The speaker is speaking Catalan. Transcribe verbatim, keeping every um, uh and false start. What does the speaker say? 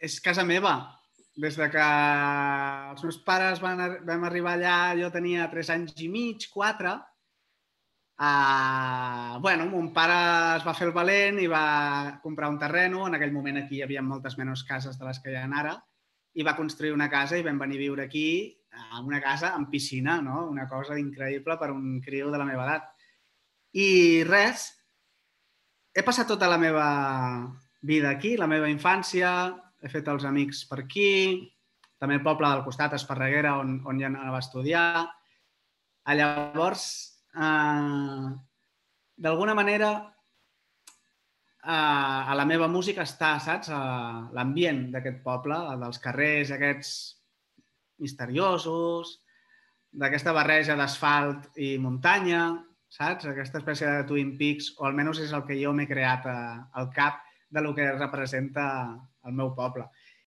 és casa meva. Des de que els meus pares van, vam arribar allà, jo tenia tres anys i mig, quatre. Uh, bueno, mon pare es va fer el valent i va comprar un terreno. En aquell moment aquí hi havia moltes menys cases de les que hi ha ara. I va construir una casa i vam venir a viure aquí, en una casa amb piscina, no? Una cosa increïble per un criu de la meva edat. I res, he passat tota la meva vida aquí, la meva infància, he fet els amics per aquí, també el poble del costat, Esparreguera, on, on ja anava a estudiar. Llavors, eh, d'alguna manera, eh, a la meva música està, saps, l'ambient d'aquest poble, dels carrers aquests misteriosos, d'aquesta barreja d'asfalt i muntanya, saps? Aquesta espècie de Twin Peaks, o almenys és el que jo m'he creat al cap de lo que representa el meu poble.